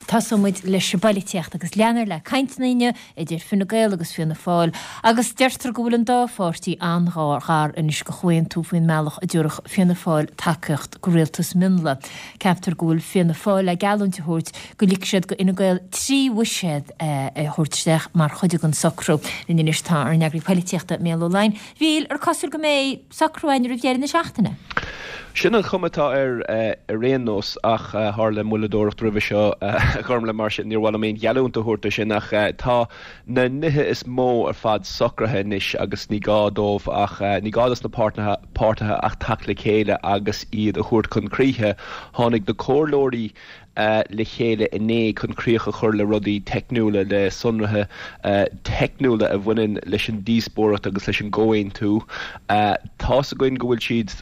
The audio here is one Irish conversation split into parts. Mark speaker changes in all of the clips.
Speaker 1: Tosóidh muid leis an bpoilitíocht agus leanfar le cainteanna inniu idir Fine Gael agus Fianna Fáil agus deirtear go bhfuil an dá pháirtí an-ghar anois do chomhaontú faoin mbealach a dtabharfadh Fianna Fáil tacaíocht do rialtas mionlaigh. Ceaptar go bhfuil Fianna Fáil le geallúint a thabhairt go ligfidh siad do Fhine Gael 3 bhuiséad a thabhairt isteach mar chuid den socrú. Linn anois tá ár n-eagraí poilitíochta, Mícheál Ó Laighin. A Mhíchíl, ar cosúil go mbeidh socrú againn roimh dheireadh na seachtaine?
Speaker 2: Sin an chuma atá air ar aon nós ach tharla moilleadóireacht roimhe seo a Ghormlaith mar sin níor mhaith liom aon gheallúint a thabhairt dó sin ach tá na nithe is mó ar fad socraithe anois agus ní gá dóibh ach ní gá dos na páirtithe ach teacht le chéile agus iad a thabhairt chun críche. Tháinig na comhairleoirí le chéile inné chun críoch a chur le rudaí teicniúla, le sonraithe teicniúla a bhaineann leis an díospóireacht agus leis an gcomhaontú. Tá's againn go bhfuil siad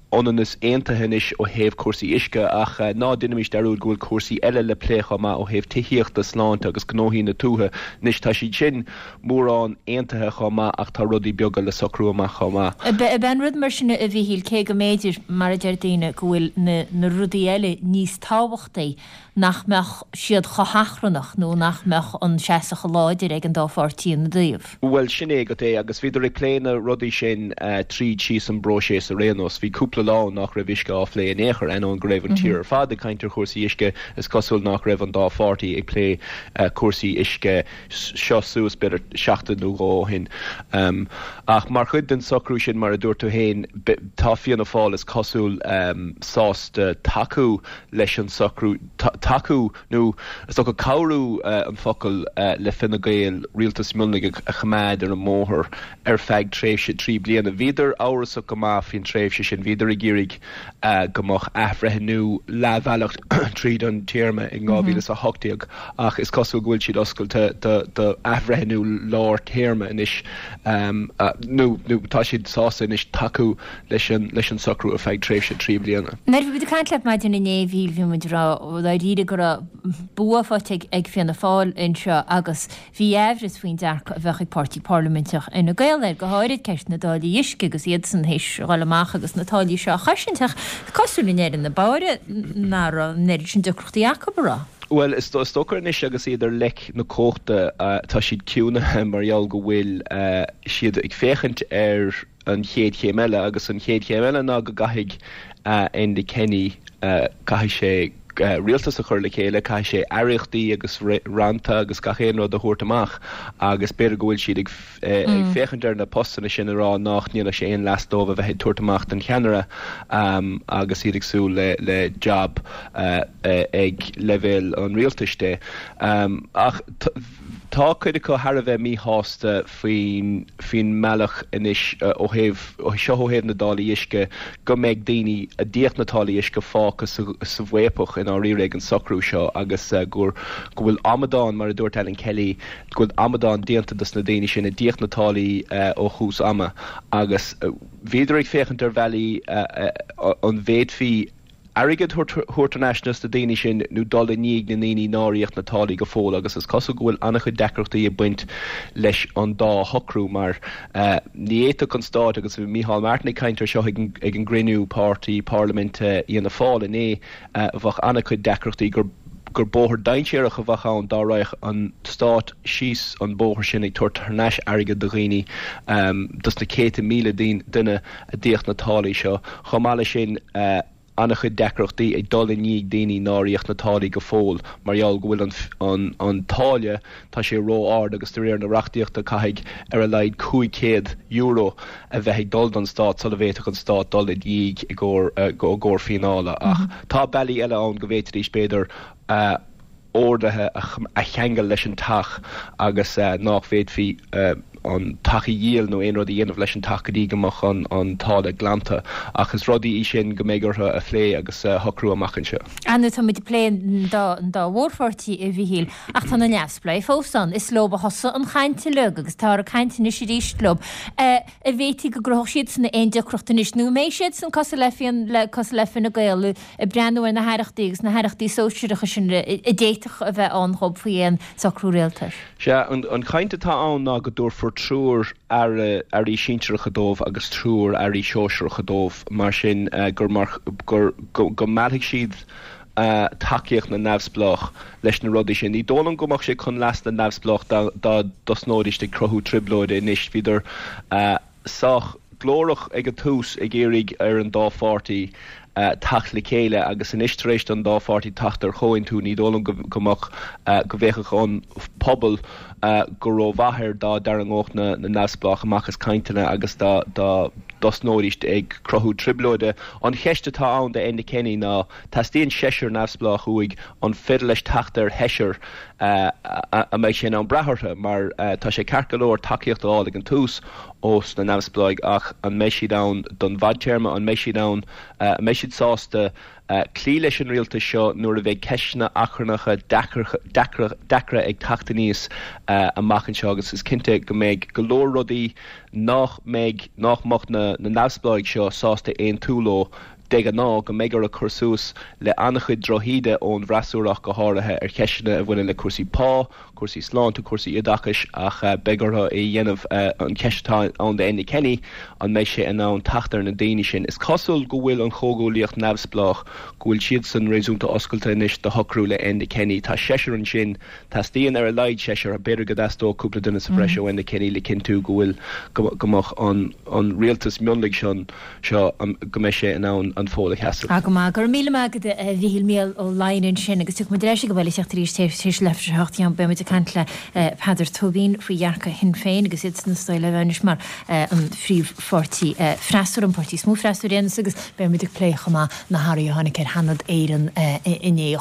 Speaker 2: ionann is aontaithe anois ó thaobh cúrsaí uisce ach ná déanaimis dearúd go bhfuil cúrsaí eile le plé chomh maith ó thaobh tithíochta, sláinte agus gnóthaí na tuaithe. Anois tá siad sin mórán aontaithe chomh maith ach tá rudaí beaga le socrú amach chomh maith.
Speaker 1: Ab é an rud mar sin a Mhíchíl, cé go mb'fhéidir, mar a deir daoine, go bhfuil na rudaí eile níos tábhachtaí, nach mbeadh siad chomh hachrannach nó nach mbeadh an seasamh chomh láidir ag an dá pháirtí ina dtaobh?
Speaker 2: Bhuel, sin é agat é agus bhíodar ag plé na rudaí sin tríd síos an bpróiseas ar aon nós. Bhí cúpla lá ann nach raibh uisce á phlé in aon chor, ainneoin go raibh an tír ar fad ag caint ar chúrsaí uisce, is cosúil nach raibh an dá pháirtí ag plé cúrsaí uisce. seo suas b'fhéidir seachtain nó dhó ó shin. Ach mar chuid den socrú sin, mar a dúirt tú féin, tá Fianna Fáil, is cosúil, sásta tacú leis an socrú, tacú nó is dócha cabhrú an focal, le Fine Gael rialtas mionlaigh a choimeád ar an mbóthar ar feadh tréimhse 3 bliana. Bhíodar amhrasach go maith faoin tréimhse sin, bhíodar ag iarraidh go mbeadh athbhreithniú leathbhealach tríd an téarma in 2018 ach is cosúil go bhfuil siad oscailte do athbhreithniú lár téarma anois nó tá siad sásta anois tacú leis an socrú ar feadh tréimhse 3 bliana.
Speaker 1: Nuair a bhí muid ag caint leat maidin inné a Mhíchíl bhí muid ag rá dáiríre go raibh bua faighte ag Fianna Fáil anseo agus Bhí aimhreas faoin dearcadh a bheadh ag páirtí parlaiminteach Fhine Gael air, go háirid ceist na dtáillí uisce agus iadsan théis dhul amach agus na táillí seo a chosaint ach cosúil i ndeireadh na báire nach raibh an oiread sin deacrachtaí acu, an raibh?
Speaker 2: Bhuel, is dócha anois agus iad ar leic na cumhachta, tá siad ciúnaithe mar gheall go bhfuil siad ag féachaint ar an chéad chéim eile agus an chéad chéim eile ná go gcaithfidh Enda Kenny, caithfidh sé rialtas a chur le chéile, caithfidh sé aireachtaí agus rannta agus gach aon rud a thabhairt amach agus b'fhéidir go bhfuil siad ag féachaint ar na postanna sin ag rá nach ndéanfadh sé aon leas dóibh a bheith ag tabhairt amach don cheannaire agus iad ag súil le jab ag leibhéal an rialtais de. Ach tá cuid acu thar a bheith míshásta faoin faoin mbealach anois ó thaobh, seo ó thaobh na dtáillí uisce, go mbeidh daoine a d'íoc na táillí uisce fágtha sa sa bhfaopach i ndáiríre ag an socrú seo agus gur go bhfuil amadán, mar a dúirt Alan Kelly, go bhfuil amadán déanta dos na daoine sin a d'íoc na táillí ó thús ama agus bhíodar ag féachaint ar bhealaí an bhféadfaí airgead a thabhairt thar n-ais dos na daoine sin nó dul i ndiaidh na ndaoine nár íoc na táillí go fóill agus is cosúil go bhfuil an-chuid deacrachtaí ag baint leis an dá shocrú mar ní fhéadfadh an Stát agus bhí Micheál Martin ag caint ar seo ag an gcruinniú páirtí parlaiminte Fhianna Fáil inné bheadh an-chuid deacrachtaí gur gur bóthar dainséarach a bheadh ann dá raghadh an Stát síos an bóthar sin ag tabhairt thar n-ais airgead do dhaoine dos na 100,000 duine a d'íoc na táillí seo. Chomh maith leis sin, an-chuid deacrachtaí ag dul i ndiaidh daoine nár íoc na táillí go fóill mar gheall go bhfuil an an táille, tá sé ró-ard agus de réir na reachtaíochta caithfidh ar a laghad €500 a bheith ag dul don Stát sula bhféadfadh an Stát dul i ndiaidh i gcomhair fíneála. Ach tá bealaí eile ann go bhféadfaidís b'fhéidir orduithe a cheangal leis an teach agus nách bhféadfaí an teach a dhíol nó aon rud a dhéanamh leis an teach go dtí go mbeadh an táille glanta. Ach is rudaí í sin go mbeidh orthu a phlé agus a shocrú amach anseo.
Speaker 1: Ar ndóigh, tá muid ag plé an dá mhórpháirtí, a Mhíchíl, ach tá na neamhspleáigh fós ann. Is leo a thosaigh an chaint uilig agus táthar ag caint anois arís leo. An bhféadfaí go gcruthódh siadsan aon deacracht anois nó an mbeidh siadsan cosúil le cosúil le Fine Gael ag breathnú ar na haireachtaí agus na haireachtaí sóisearacha sin a d'fhéadfadh a bheith ann dhób faoi aon socrú rialtais.
Speaker 2: Sea, an chaint atá ann ná go dtabharfar triúr aire, airí sinsearacha dóibh agus triúr airí sóisearacha dóibh, mar sin gur mar, gur, go meallfaidh siad. tacaíocht na neamhspleách leis na rudaí sin. Ní dóigh liom go mbeadh sé chun leas na neamhspleách dá dtosnóidís ag cruthú trioblóide anois. Bhíodar sách glórach ag an tús ag iarraidh ar an dá pháirtí teacht le chéile agus anois tar éis don dá pháirtí teacht ar chomhaontú ní dóigh liom go mbeadh, go bhféachfadh an pobal go rómhaith air dá dtarraingeodh na neamhspleách amach as cainteanna agus dá dtosnóidís ag cruthú trioblóide. An cheist atá ann do Enda Kenny ná teastaíonn seisear neamhspleách uaidh, an féidir leis teacht ar sheisear a mbeidh sé in ann brath orthu mar tá sé ceart go leor tacaíocht a fháil ag an tús ós na neamhspleáigh ach an mbeidh siad ann don bhfadtéarma, an mbeidh siad ann, an mbeidh siad sásta cloí leis an rialtas seo nuair a bheidh ceisteanna achrannacha deacra ag teacht aníos amach anseo agus is cinnte go mbeidh go leor rudaí nach mbeidh, nach mbeadh na neamhspleáigh seo sásta aontú leo de ghnáth, go mbeidh orthu cur suas le an-chuid drochíde ón bhfreasúra ach go háirithe ar cheisteanna a bhaineann le cúrsaí pá, cúrsaí sláinte, cúrsaí oideachais ach beidh orthu é a dhéanamh. An cheist atá ann do Enda Kenny, an mbeidh sé in ann teacht ar na daoine sin? Is cosúil go bhfuil an Chomhghuaillíocht Neamhspleách, go bhfuil siadsan réasúnta oscailte anois do shocrú le Enda Kenny. Tá seisear ansin, teastaíonn ar a laghad seisear, b'fhéidir go dteastódh cúpla duine sa bhreis ó Enda Kenny le cinntiú go bhfuil, go mbeadh an rialtas mionlaigh sin, seo go mbeidh sé in ann an fód a sheasamh.
Speaker 1: Ah go maith. Go raibh míle maith agat a Mhíchíl Mícheál Ó Laighin ansin agus tiocfaidh muid ar ais ag an bhaile tar éis tar éis leathuair tar éis a 8 beidh muid ag caint le Peadar Tóibín faoi dhearcadh Shinn Féin agus iad san is dóigh le bheith anois mar an phríomhpháirtí freasúra, an páirtí is mó freasúra ar aon nós agus beidh muid ag plé chomh maith na hathruithe a tháinig ar Sheanad Éireann inné.